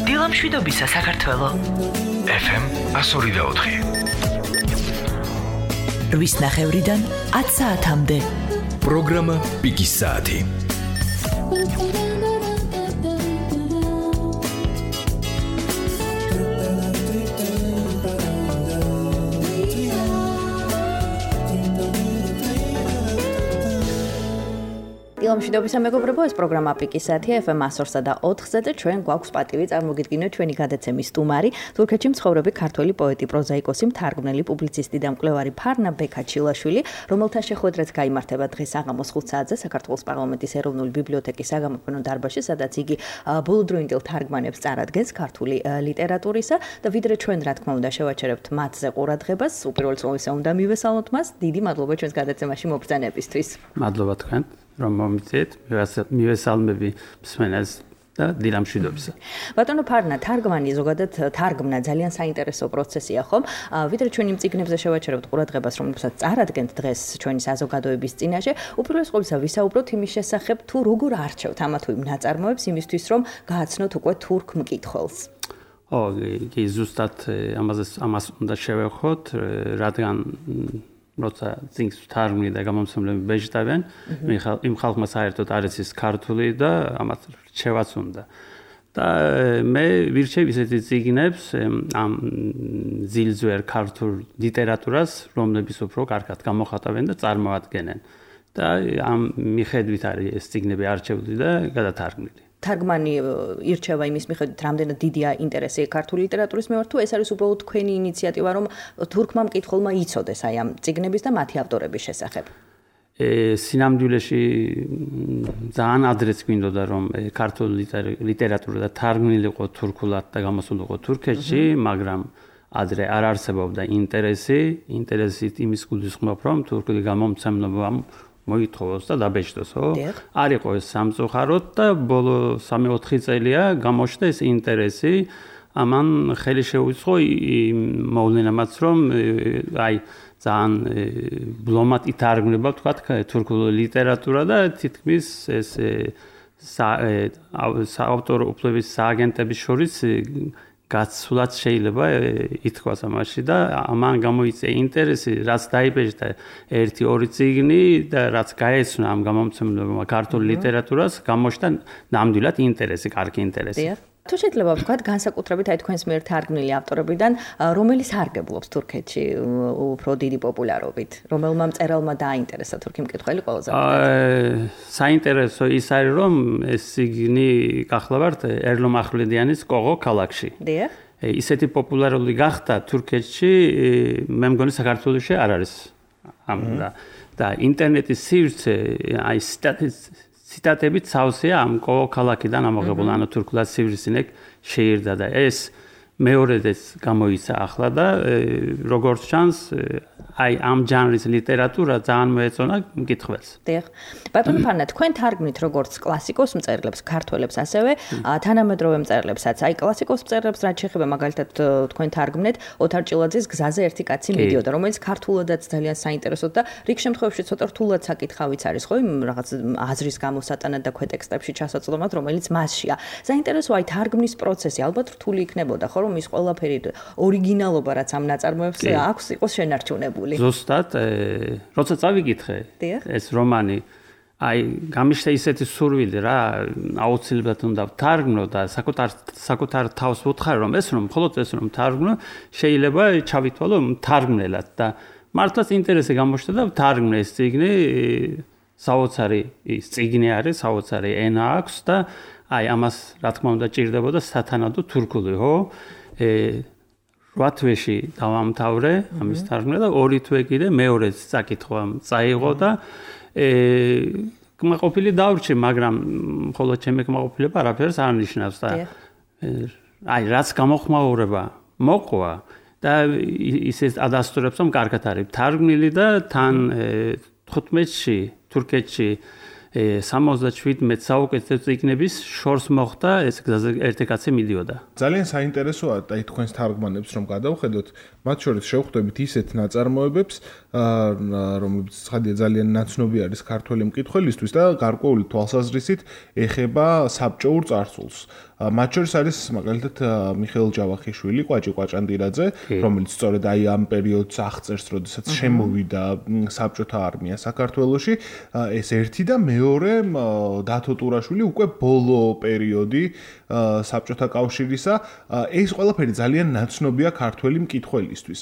დილამშვიდობისა საქართველო FM 102.4 8 ნახევრიდან 10 საათამდე პროგრამა პიკის საათი დილამშვიდობისა მეგობრებო, ეს პროგრამა პიკის საათია FM 102 და 4-ზე და ჩვენ გვაქვს პატივი წარმოგიდგინოთ ჩვენი გადაცემის სტუმარი, თურქეთში მცხოვრები ქართველი პოეტი, პროზაიკოსი, მთარგმნელი, პუბლიცისტი და მკვლევარი ფარნა ბექაჩილაშვილი, რომელთა შეხვედრაც გაიმართება დღეს საღამოს 5 საათზე საქართველოს პარლამენტის ეროვნული ბიბლიოთეკის საგამოფენო დარბაზში, სადაც იგი ბოლოდროინდელ თარგმანებს წარადგენს ქართული ლიტერატურისა და ვიდრე ჩვენ რა თქმა უნდა შევაჩერებთ მათზე ყურადღებას, უპირველეს ყოვლისა უნდა მივესალმოთ მას, დიდი მადლობა ჩვენს გადაცემაში მობრძანებისთვის. მადლობა თქვენ. რომ მომიწეთ, მივესალმები მსმენელს და დილამშვიდობისა. ბატონო ფარნა, თარგმანი ზოგადად თარგმნა ძალიან საინტერესო პროცესია, ხომ? ვიდრე ჩვენ იმ წიგნებზე შევაჩერებთ ყურადღებას, რომლებსაც წარადგენთ დღეს ჩვენი საზოგადოების წინაშე, უპირველეს ყოვლისა ვისაუბროთ იმის შესახებ, თუ როგორ არჩევთ ამა თუ იმ ნაწარმოებს იმისთვის, რომ გააცნოთ უკვე თურქ მკითხველს. კი, ზუსტად ამას უნდა შევეხოთ, რადგან როცა წიგნს თარგმნი და გამომცემლები ბეჭდავენ, იმ ხალხმა საერთოდ არ იცის ქართული და ამათ რჩევაც უნდა. და მე ვირჩევ ისეთი წიგნებს ამ ძილძვერ ქართულ ლიტერატურას, რომლებიც უფრო კარგად გამოხატავენ და წარმოადგენენ. და ამ მიხედვით არის ეს წიგნები არჩეული და გადათარგმნილი. თარგმანი ირჩევა იმის მიხედვით, რამდენად დიდია ინტერესი ქართული ლიტერატურის მიმართ, თუ ეს არის უბრალოდ თქვენი ინიციატივა, რომ თურქმა მკითხველმა იცოდეს აი ამ წიგნების და მათი ავტორების შესახებ. სინამდვილეში ძალიან ადრეც გვინდოდა, რომ ქართული ლიტერატურა და თარგმნილიყო თურქულად და გამოსულიყო თურქეთში, მაგრამ ადრე არ არსებობდა ინტერესით იმის გულისხმობ, რომ თურქული გამომცემლობა მოითხოვოს და დაბეჭდოს, ხო? არ იყო ეს სამწუხაროდ და ბოლო 3-4 წელია გამოჩნდა ეს ინტერესი. ამან ხელი შეუწყო მოვლენამაც, რომ აი ძალიან ბლომად ითარგმნება, თქვათ, თურქული ლიტერატურა და თითქმის ეს საავტორო უფლების სააგენტების შორის გაცვლაც შეიძლება ითქვას ამაში და ამან გამოიწვია ინტერესი, რაც დაიბეჭდა 1-2 წიგნი და რაც გაეცნო ამ გამომცემლებმა ქართულ ლიტერატურას, გამოჩნდა ნამდვილად ინტერესი, კარგი ინტერესი. თუ შეიძლება ვთქვათ, განსაკუთრებით აი თქვენს მიერ თარგმნილი ავტორებიდან, რომელი სარგებლობს თურქეთში უფრო დიდი პოპულარობით, რომელმა მწერალმა დააინტერესა თურქი მკითხველი ყველაზე მეტად? საინტერესო ის არის, რომ ეს წიგნი გახლავართ ერლომ ახვლედიანის კოღო ქალაქში. დიახ. ისეთი პოპულარული გახდა თურქეთში, მე მგონი საქართველოში არ არის. და ინტერნეტის სივრცე აი ციტატებით სავსეა ამ ქალაქიდან ამოღებული, ანუ თურქულად სივრცინეკ შეირდა და ეს მეორედაც გამოიცა ახლა და როგორც ჩანს, აი ამ ჟანრის ლიტერატურა ძალიან მოეწონა მკითხველს. დიახ. ბატონო ფარნა, თქვენ თარგმნით როგორც კლასიკოს მწერლებს, ქართველებს, ასევე თანამედროვე მწერლებსაც. აი კლასიკოს მწერლებს რაც შეეხება, მაგალითად თქვენ თარგმნეთ ოთარ ჭილაძის გზაზე ერთი კაცი მიდიოდა, რომელიც ქართულადაც ძალიან საინტერესოდ და რიგ შემთხვევებში ცოტა რთულად საკითხავიც არის, ხო, იმ რაღაც აზრის გამოსატანად და ქვეტექსტებში ჩასაწვდომად, რომელიც მასშია. საინტერესო აი თარგმნის პროცესი, ალბათ რთული იქნებოდა, ხო, რომ ის ყველაფერი ორიგინალობა რაც ამ ნაწარმოებს აქვს იყოს შენარჩუნებული. ზუსტად, როცა წავიკითხე ეს რომანი, აი გამიშთა ისეთი სურვილი რა, აუცილებლად უნდა ვთარგმნო და საკუთარ თავს ვუთხარ, რომ მხოლოდ ეს რომ ვთარგმნო, შეიძლება ჩავითვალო მთარგმნელად და მართლაც ინტერესი გამოჩნდა და ვთარგმნე ეს წიგნი, საოცარი ის წიგნი არის, საოცარი ენა აქვს და აი ამას რა თქმა უნდა ჭირდებოდა სათანადო თურქული, ხო? 8 თვეში დავამთავრე ამის თარგმნა და 2 თვე კიდე მეორეც წაკითხვა წაიღო და კმაყოფილი დავრჩე, მაგრამ მხოლოდ ჩემი კმაყოფილება არაფერს არ ნიშნავს და აი რაც გამოხმაურება მოყვა და ისე ადასტურებს, რომ კარგად არის თარგმნილი და თან 15-ში თურქეთში 77 საუკეთესო წიგნების შორს მოხდა ეს გზაზე ერთი კაცი მიდიოდა. ძალიან საინტერესოა და თქვენს თარგმანებს რომ გადავხედოთ, მათ შორის შევხვდებით ისეთ ნაწარმოებებს, რომლებიც ხადია ძალიან ნაცნობი არის ქართველი მკითხველისთვის და გარკვეული თვალსაზრისით ეხება საბჭოურ წარსულს. მათ შორის არის მაგალითად მიხეილ ჯავახიშვილი, კვაჭი კვაჭანდირაძე, რომელიც სწორედ აი ამ პერიოდს აღწერს, როდესაც შემოვიდა საბჭოთა არმია საქართველოში. ეს ერთი და მეორე დათო ტურაშვილი უკვე ბოლო პერიოდი საბჭოთა კავშირისა. ეს ყველაფერი ძალიან ნაცნობია ქართველი მკითხველისთვის.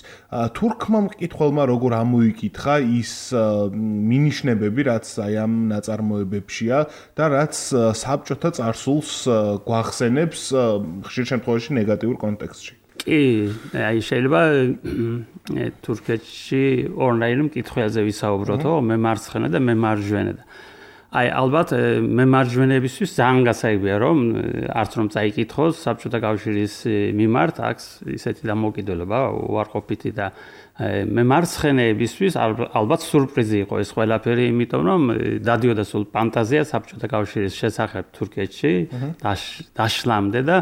თურქმა მკითხველმა როგორ ამოიკითხა ის მინიშნებები, რაც აი ამ ნაწარმოებებშია და რაც საბჭოთა წარსულს გვახსენებს ხშირ შემთხვევაში ნეგატიურ კონტექსტში. კი, აი შეიძლება თურქეთში ორნაირი მკითხველზე ვისაუბროთ, მე მარცხენა და მე მარჯვენა. აი ალბათ მე მარჯვენებისთვის ძალიან გასაიბია რომ არც რომ წაიკითხოს საბჭოთა კავშირის მიმართ აქვს ისეთი დამოკიდებულება უარყოფითი და მე მარცხენებისთვის ალბათ სურპრიზი იყო ეს ყველაფერი, იმიტომ რომ დადიოდა სულ ფანტაზია საბჭოთა კავშირის შესახებ თურქეთში დაშლამდე და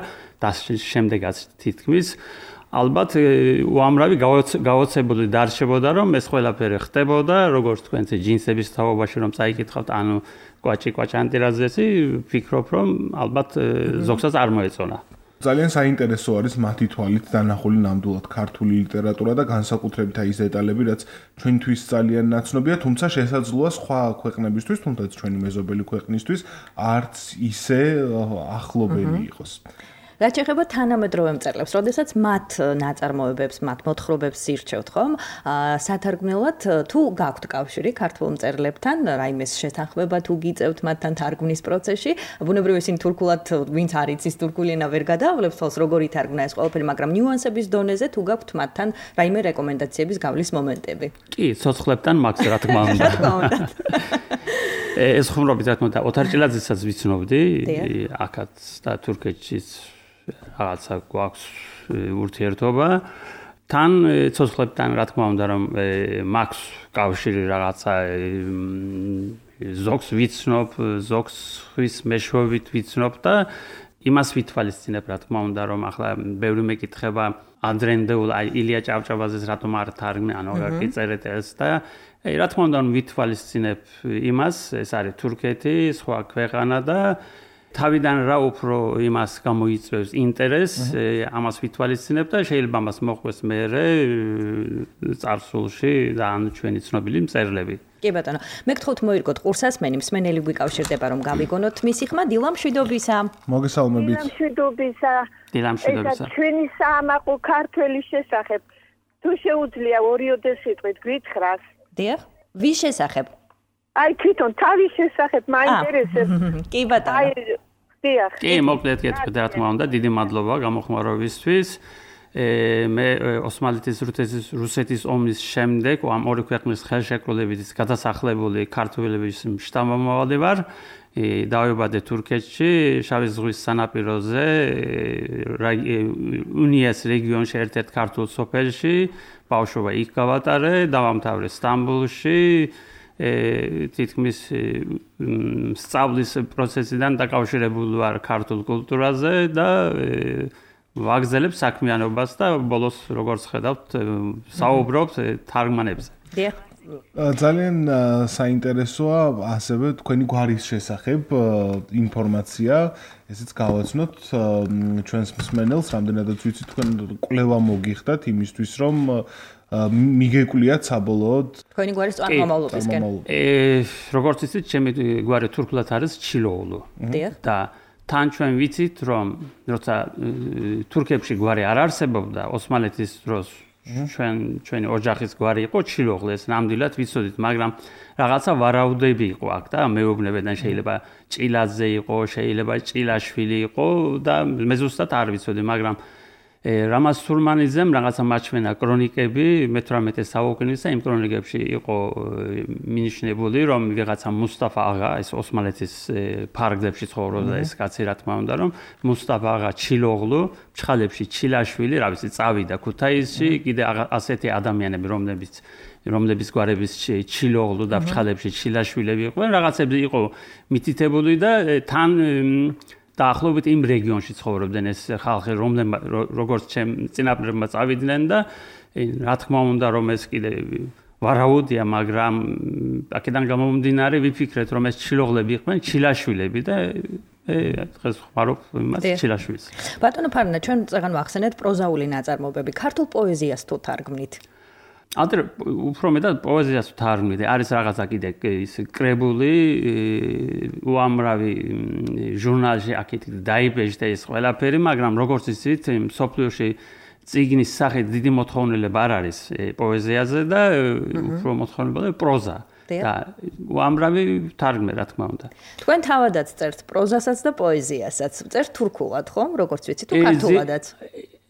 შემდეგაც თითქმის ალბათ უამრავი გაოცებული დარჩებოდა რომ ეს ყველაფერი ხდებოდა, როგორც თქვენ ჯინსების თაობაში რომ წაიკითხავთ, ანუ კვაჭი კვაჭანდირაძესი, ფიქრობ რომ ალბათ ზოგსაც არ მოეწონა. ძალიან საინტერესო არის მათი თვალით დანახული ნამდვილად ქართული ლიტერატურა და განსაკუთრებით აი ეს დეტალები, რაც ჩვენთვის ძალიან ნაცნობია, თუმცა შესაძლოა სხვა ქვეყნებისთვის, თუნდაც ჩვენი მეზობელი ქვეყნისთვის არც ისე ახლობელი იყოს. რაც ეხება თანამედროვე მწერლებს, როდესაც მათ ნაწარმოებებს, მათ მოთხრობებს ირჩევთ, ხომ? სათარგმნელად თუ გაქვთ კავშირი ქართულ მწერლებთან, რაიმეს შეთანხმება თუ გიწევთ მათთან თარგმნის პროცესში, ბუნებრივია ისინი თურქულად, ვინც არ იცის თურქული ენა ვერ გადაავლებს თავს, როგორ ითარგმნა ეს ყველაფერი, მაგრამ ნიუანსების დონეზე თუ გაქვთ მათთან რაიმე რეკომენდაციების გავლის მომენტები. კი, ცოცხლებთან მაქვს რა თქმა უნდა. ეს ხუმრობით რა თქმა უნდა, ოთარ ჭილაძესაც ვიცნობდი, აქაც და თურქეთშიც რაღაცა გვაქვს ურთიერთობა. თან ცოცხლებთან რა თქმა უნდა რომ მაქვს კავშირი რაღაცა ზოგს ვიცნობ, ზოგს ხვის მეშვეობით ვიცნობ და იმას ვითვალისწინებ რა თქმა უნდა რომ ახლა ბევრი მეკითხება ანდრენდეულ აი ილია ჭავჭავაძეს რატომ არ თარგმნე, ანუ რა გიწერეთ ეს და რა თქმა უნდა ვითვალისწინებ იმას, ეს არის თურქეთი, სხვა ქვეყანა და თავიდან რა უფრო იმას გამოიწვევს ინტერესს, ამას ვითვალისწინებ და შეიძლება ამას მოყვეს მერე წარსულში და ანუ ჩვენი ცნობილი მწერლები. კი ბატონო, მე გთხოვთ მოირგოთ ყურსასმენი, მსმენელი გვიკავშირდება რომ გავიგონოთ მისი ხმა. დილა მშვიდობისა. მოგესალმებით. დილა მშვიდობისა. ეს ჩვენი საამაყო ქართველის შესახებ თუ შეუძლია 2-3 სიტყვით გითხრას. დიახ, ვის შესახებ? აი თვითონ თავის შესახებ მაინტერესებს. კი ბატონო. აი დიახ. კი, მოკლედ გეტყვით რა თქმა უნდა, დიდი მადლობა გამოხმარებისთვის. მე ოსმალეთის რუსეთის ომის შემდეგ ამ ორი ქვეყნის ხელშეკრულებით გადასახლებული ქართველების შთამომავალი ვარ. დავიბადე თურქეთში, შავი ზღვის სანაპიროზე, უნიას რეგიონში ერთ-ერთ ქართულ სოფელში, ბავშვობა იქ გავატარე, დავამთავრე სტამბოლში. თითქმის სწავლის პროცესიდან დაკავშირებული ვარ ქართულ კულტურაზე და ვაგზელებ საქმიანობას და ბოლოს როგორც ხედავთ საუბრობთ თარგმანებზე. დიახ. ძალიან საინტერესოა ასევე თქვენი გვარის შესახებ ინფორმაცია, ესეც გავაცნოთ ჩვენს მსმენელს, რამდენადაც ვიცი თქვენ კვლევა მოგიხდათ იმისთვის, რომ მიგეკვლიათ საბოლოოდ თქვენი გვარის წარმომავლობისკენ. როგორც იცით, ჩემი გვარი თურქულად არის ჩილოულუ. დიახ. და თან ჩვენ ვიცით, რომ როცა თურქებში გვარი არ არსებობდა, ოსმალეთის დროს ჩვენი ოჯახის გვარი იყო ჩილოღლუ, ეს ნამდვილად ვიცოდით, მაგრამ რაღაცა ვარაუდები იყო აქ და მეუბნებიდან შეიძლება ჭილაძე იყო, შეიძლება ჭილაშვილი იყო და მე ზუსტად არ ვიცოდი, მაგრამ რამაზ სურმანიძემ რაღაცა მაჩვენა კრონიკები მე-18 საუკუნის და იმ კრონიკებში იყო მინიშნებული რომ ვიღაცა მუსტაფა აღა ეს ოსმალეთის ფარგლებში ცხოვრობდა ეს კაცი რა თქმა უნდა რომ მუსტაფა აღა ჩილოღლუ ჩხალებში ჩილაშვილი რა ვიცი წავიდა ქუთაისში კიდე ასეთი ადამიანები რომლების გვარების ჩილოღლუ და ჩხალებში ჩილაშვილები იყვნენ რაღაცები იყო მითითებული და თან დაახლოებით იმ რეგიონში ცხოვრობდნენ ეს ხალხი როგორც ჩემ წინაპრებმა წავიდნენ და რა თქმა უნდა რომ ეს კიდე ვარაუდია მაგრამ აქედან გამომდინარე ვიფიქრეთ რომ ეს ჩილოღლები იყვნენ ჩილაშვილები და დღეს ხმარობ იმას ჩილაშვილს ბატონო ფარნა ჩვენ წეგან ვახსენეთ პროზაული ნაწარმოებები ქართულ პოეზიას თუ თარგმნით ადრე უფრო მეტად პოეზიას თარგმნით არის რაღაცა კიდე ის კრებული უამრავი ჟურნალში აქეთ დაიბეჭდა ეს ყველაფერი მაგრამ როგორც იცით სოფლიოში წიგნის სახით დიდი მოთხოვნილება არ არის პოეზიაზე და უფრო მოთხოვნილება პროზა და უამრავი თარგმნე რა თქმა უნდა თქვენ თავადაც წერთ პროზასაც და პოეზიასაც წერთ თურქულად ხომ როგორც ვიცი თუ ქართულადაც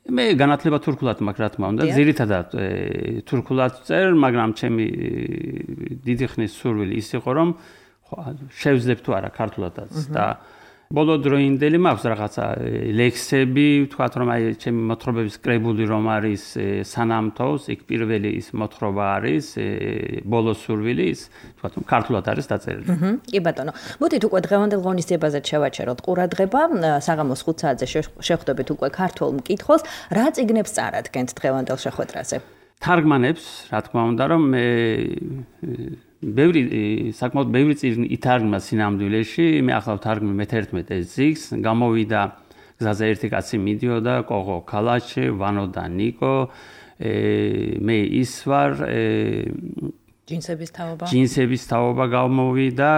მე განათლება თურქულად მაქვს რა თქმა უნდა ძირითადად თურქულად წერ მაგრამ ჩემი დიდი ხნის სურვილი ის იყო რომ შევძლებ თუ არა ქართულადაც და ბოლო დროინდელი მაქვს რაღაცა ლექსები ვთქვათ რომ აი ჩემი მოთხრობების კრებული რომ არის სანამთოს იქ პირველი ის მოთხრობა არის ბოლო სურვილი ის ვთქვათ რომ ქართულად არის დაწერილი კი ბატონო მოდით უკვე დღევანდელ ღონისძიებაზე შევაჩეროთ ყურადღება საღამოს 5 საათზე შეხვდებით უკვე ქართულ მკითხველს რა წიგნებს წარადგენთ დღევანდელ შეხვედრაზე თარგმანებს რა თქმა უნდა რომ საკმაოდ ბევრი წიგნი ითარგმნა სინამდვილეში მე ახლა ვთარგმნი მე-11 წიგნს გამოვიდა გზაზე ერთი კაცი მიდიოდა კოღო ქალაჩე ვანო და ნიკო მე ის ვარ ჯინსების თაობა გამოვიდა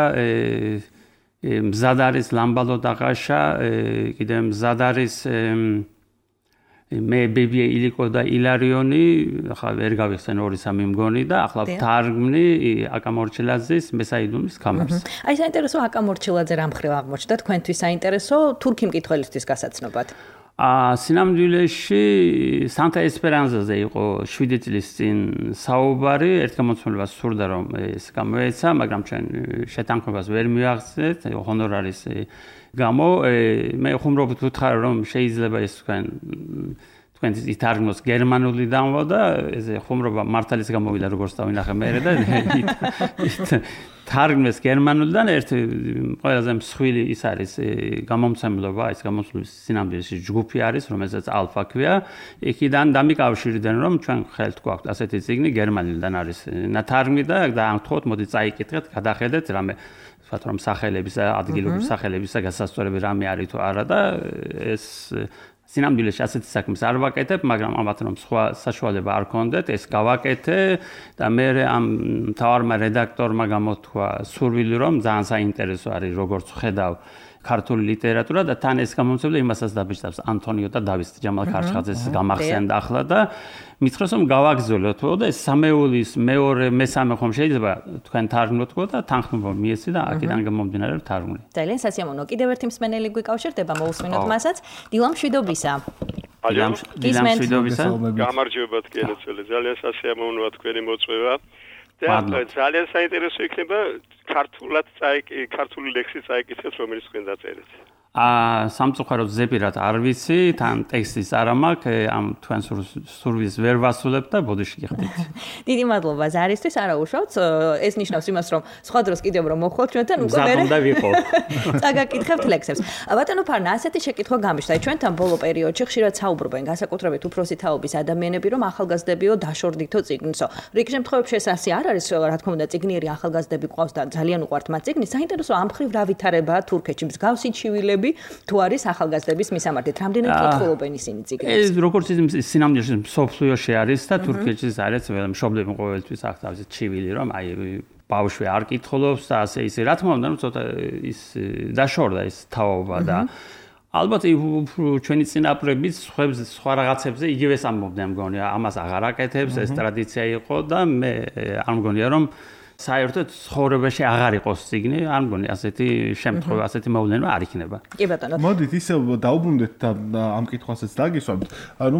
მზად არის ლამბალო დაღაშა კიდე მზად არის მე ბებია ილიკო და ილარიონი ახლა ვერ გავიხსენ 2-3 მგონი და ახლა თარგმნი აკამორჩილაძის მესაიდუმის კამერს. აი საინტერესო აკამორჩილაძე რამ ხრივ აღმოჩნდა თქვენთვის საინტერესო თურქი მკითხველისთვის გასაცნობად. სინამდვილეში სანტა ესპერანზაზე იყო 7 წლის წინ საუბარი, ერთ გამოცემულებას სურდა რომ ეს გამოეცა, მაგრამ ჩვენ შეთანხმებას ვერ მივახცეთ, ჰონორარის გამო მე ხუმრობთ ვუთხარ რომ შეიძლება ეს თქვენ ითარგმნოს გერმანულიდანვე და ეს ხუმრობა მართალის გამოვიდა როგორც დავინახე მე და თარგმნეს გერმანულიდან ერთ ყველაზე მსხვილი ის არის გამომცემლობა ის გამოსulis სინამდვილეში ჯგუფი არის რომელსაც ალფა ქვია იქიდან დამიკავშირდნენ რომ ჩვენ ხელთ გვაქვს ასეთი წიგნი გერმანულიდან არის თარგმნი და დაამთხოთ მოდი წაიკითხეთ გადახედეთ რამე ვთქვათ რომ სახელების ადგილობის სახელების გასასწორები რამე არის თუ არა და ეს სინამდვილეში ასეთი საქმეს არ ვაკეთებ, მაგრამ ამათ რომ სხვა საშუალება არ ქონდეთ, ეს გავაკეთე და მე ამ მთავარმა რედაქტორმა გამოთქვა სურვილი რომ ძალიან საინტერესო არის როგორც ხედავ ქართული ლიტერატურა და თან ეს გამომცემლი იმასაც დაბეჭდავს ანტონიო და დავით ჯამალ ქარჩხაძეს გამახსენდა ახლა და მითხრას რომ გავაგზავნოთ და ეს სამეულის მეორე მესამე ხომ შეიძლება თქვენ თარგმნოთ და თანხმობა მიეცი და აქედან გამომდინარე თარგმნი. ძალიან სასიამოვნო. კიდევ ერთი მსმენელი გვიკავშირდება, მოусმინოთ მასაც. დილამ შვიდობისა. დილამ შვიდობისა. გამარჯობა თქვენიცელი. ძალიან სასიამოვნოა თქვენი მოწვევა. და ძალიან საინტერესო იქნება ქართული ლექსი წაიკითხეთ, რომელიც თქვენ დაწერეთ. სამწუხაროდ ზეპირად არ ვიცი, თან ტექსტის არ მაქვს, ამ თქვენ სურვილს ვერ ვასრულებ და ბოდიში გიხდით. დიდი მადლობა ზარისთვის, არა უშავთ, ეს ნიშნავს იმას, რომ სხვა დროს კიდევ რომ მოხვალთ ჩვენთან უკვე მე უნდა ვიყო. წაგაკითხებთ ლექსებს. ბატონო ფარნა, ასეთი შეკითხვა გამიშთა, ჩვენთან ბოლო პერიოდში ხშირად საუბრობენ განსაკუთრებით უფროსი თაობის ადამიანები, რომ ახალგაზრდებიო დაშორდითო წიგნსო. რიგ შემთხვევებში ეს ასე არ არის, რა თქმა უნდა, წიგნიერი ახალგაზრდები ყავს და ძალიან უყვართ მათ წიგნი. საინტერესო ამ ხრივ რა ვითარებაა თურქეთში, მსგავსი ჩივილები თუ არის ახალგაზრდების მისამართით რამდენად კითხულობენ ისინი წიგნებს ეს როგორც სინამდვილეში სოფლიოში არის და თურქეთში არის მშობლები ყოველთვის აქვს თავისი ჩივილი რომ აი ბავშვი არ კითხულობს და ასე ისე რა თქმა უნდა ცოტა ის დაშორდა ეს თაობა და ალბათ ჩვენი წინაპრები სხვა რაღაცებზე იგივეს ამბობდნენ მგონია ამას აღარ აკეთებს ეს ტრადიცია იყო და მე არ მგონია რომ საერთოდ ცხოვრებაში აღარ იყოს წიგნი, არ მგონი ასეთი შემთხვევა, ასეთი მოვლენა არ იქნება. კი ბატონო. მოდით ისე დაუბრუნდეთ და ამ კითხვასაც დაგისვამთ. ანუ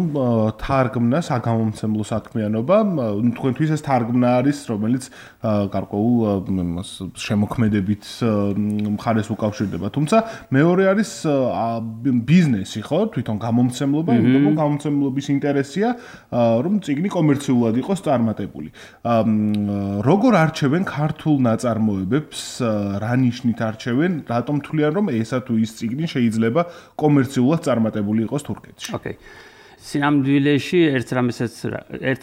თარგმნა, საგამომცემლო საქმიანობა, თქვენთვის ეს თარგმნა არის, რომელიც გარკვეულ შემოქმედებით მხარეს უკავშირდება. თუმცა მეორე არის ბიზნესი, ხო? თვითონ გამომცემლობა, იმიტომ რომ გამომცემლობის ინტერესია, რომ წიგნი კომერციულად იყოს წარმატებული. როგორ არჩევენ ქართულ ნაწარმოებებს, რა ნიშნით არჩევენ, რატომ თვლიან რომ ესა თუ ის წიგნი შეიძლება კომერციულად წარმატებული იყოს თურქეთში? ოკეი. სინამდვილეში ერთ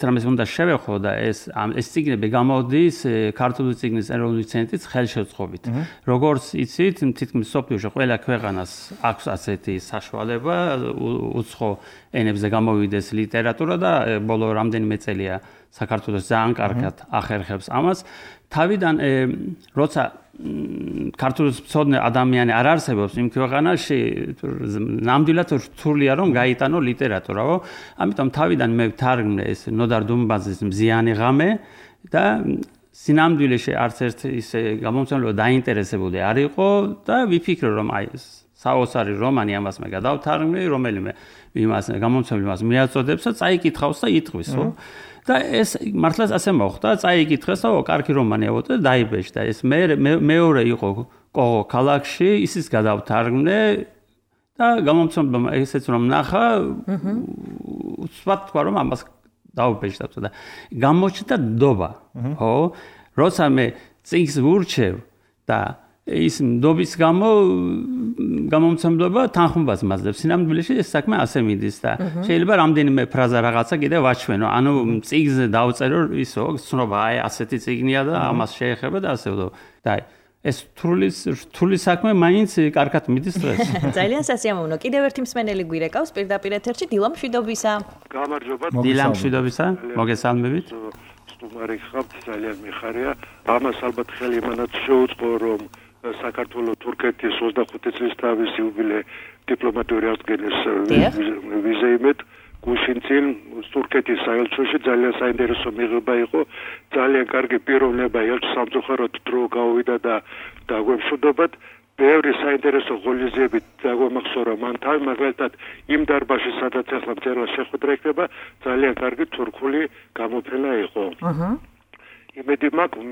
რამეს უნდა შევეხო და ეს წიგნები გამოდის ქართული წიგნის ეროვნული ცენტრის ხელშეწყობით. როგორც იცით, თითქმის სოფლიოში ყველა ქვეყანას აქვს ასეთი საშუალება უცხო ენებზე გამოვიდეს ლიტერატურა და ბოლო რამდენიმე წელია საქართველოს ძალიან კარგად ახერხებს ამას. თავიდან როცა ქართულის მცოდნე ადამიანი არ არსებობს იმ ქვეყანაში, ნამდვილად რთულია რომ გაიტანო ლიტერატურა. ამიტომ თავიდან მე ვთარგმნე ეს ნოდარ დუმბაძის მზიანი ღამე და სინამდვილეში არც ერთ ისე გამომცემლობა დაინტერესებული არ იყო და ვიფიქრე რომ აი ეს საოცარი რომანი ამას მე გადავთარგმნი, რომელიმე იმას გამომცემლობას მიაწოდებს და წაიკითხავს და იტყვის, ხო? და ეს მართლაც ასე მოხდა, წაიკითხეს და კარგი რომანია და დაიბეჭდა. ეს მეორე იყო კოღო ქალაქში, ისიც გადავთარგმნე და გამომცემლობა ესეც რომ ნახა, უცბად თქვა რომ ამას დავიბეჭდა და გამოჩნდა ნდობა, ხო? როცა მე წიგნს ვურჩევ და ის ნდობის გამო გამომცემლობა თანხმობას მაძლევს. სინამდვილეში ეს საქმე ასე მიდის და შეიძლება რამდენიმე ფრაზა რაღაცა კიდე ვაჩვენო. ანუ წიგნზე დავწერო ისო, ცნობა აი ასეთი წიგნია და ამას შეეხება და ასე და ეს რთული საქმე მაინც კარგად მიდის დღეს. ძალიან სასიამოვნო. კიდევ ერთი მსმენელი გვირეკავს პირდაპირ ეთერში დილა მშვიდობისა. გამარჯობა. დილა მშვიდობისა. მოგესალმებით. სტუმარი ხართ, ძალიან მიხარია. ამას ალბათ ხელი იმანაც შეუწყო რომ საქართველოს თურქეთის 25 წლის თავის იუბილე დიპლომატიური აღდგენის ვიზეიმეთ გუშინ წინ თურქეთის საელჩოში ძალიან საინტერესო მიღება იყო. ძალიან კარგი პიროვნება ელჩ სამწუხაროდ დრო გავიდა და დაგვემშვიდობათ. ბევრი საინტერესო ღონისძიებით დაგვამახსოვრა მან თავი, მაგალითად იმ დარბაზში სადაც ახლა მწერლა შეხვედრა იქნება, ძალიან კარგი თურქული გამოფენა იყო. იმედი მაქვს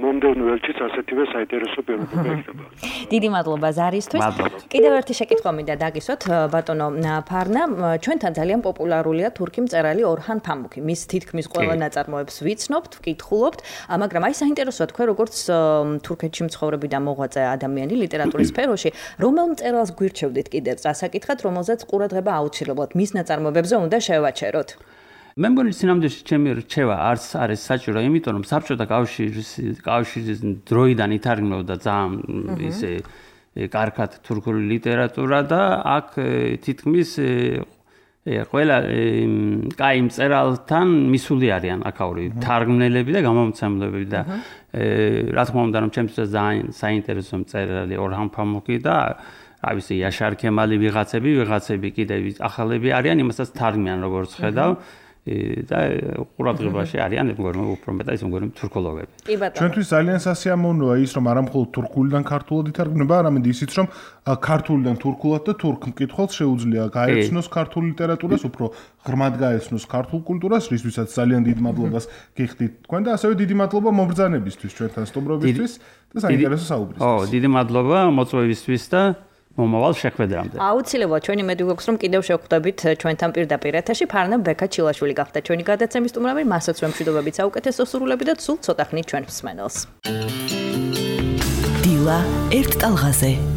მომდევნო ელჩის ასეთივე საინტერესო პიროვნება იქნება. დიდი მადლობა ზარისთვის. კიდევ ერთი შეკითხვა მინდა დაგისვათ ბატონო ფარნა, ჩვენთან ძალიან პოპულარულია თურქი მწერალი ორჰან ფამუკი. მის თითქმის ყველა ნაწარმოებს ვიცნობთ, ვკითხულობთ, მაგრამ აი საინტერესოა თქვენ როგორც თურქეთში მცხოვრები და მოღვაწე ადამიანი ლიტერატურის სფეროში, რომელ მწერალს გვირჩევდით კიდევ წასაკითხად, რომელზეც ყურადღება აუცილებლად მის ნაწარმოებებზე უნდა შევაჩეროთ? მე მგონი სინამდვილეში ჩემი რჩევა არც არის საჭირო, იმიტომ რომ საბჭოთა კავშირის დროიდან ითარგმნობდა ძალიან ისე კარგად თურქული ლიტერატურა და აქ თითქმის ყველა კაი მწერალთან მისული არიან აქაური თარგმნელები და გამომცემლები და რა თქმა უნდა რომ ჩემთვის ძალიან საინტერესო მწერალი ორჰან ფამუკი და ავისი იაშარ ქემალი ვიღაცები კიდევ ახალები არიან, იმასაც თარგმნიან როგორც ხედავ. და ყურადღებაში არიან უფრო მეტად ის მგონი თურქოლოგები. ჩვენთვის ძალიან სასიამოვნოა ის რომ არა მხოლოდ თურქულიდან ქართულად ითარგმნება, არამედ ისიც რომ ქართულიდან თურქულად და თურქ მკითხველს შეუძლია გაეცნოს ქართულ ლიტერატურას, უფრო ღრმად გაეცნოს ქართულ კულტურას, რისთვისაც ძალიან დიდ მადლობას გიხდით თქვენ და ასევე დიდი მადლობა მომბრძანებისთვის ჩვენთან სტუმრობისთვის და საინტერესო საუბრისთვის. დიდი მადლობა მოწვევისთვის და მომავალ შეხვედრამდე. აუცილებლად ჩვენი მედი გვაქვს რომ კიდევ შევხვდებით ჩვენთან პირდაპირ ეთერში. ფარნა ბექა ჩილაშვილი გახდა ჩვენი გადაცემის სტუმრები, მასაც ვემშვიდობებით საუკეთესო სურვილები და სულ ცოტა ხნით ჩვენ მსმენელს. დილა ერთ ტალღაზე.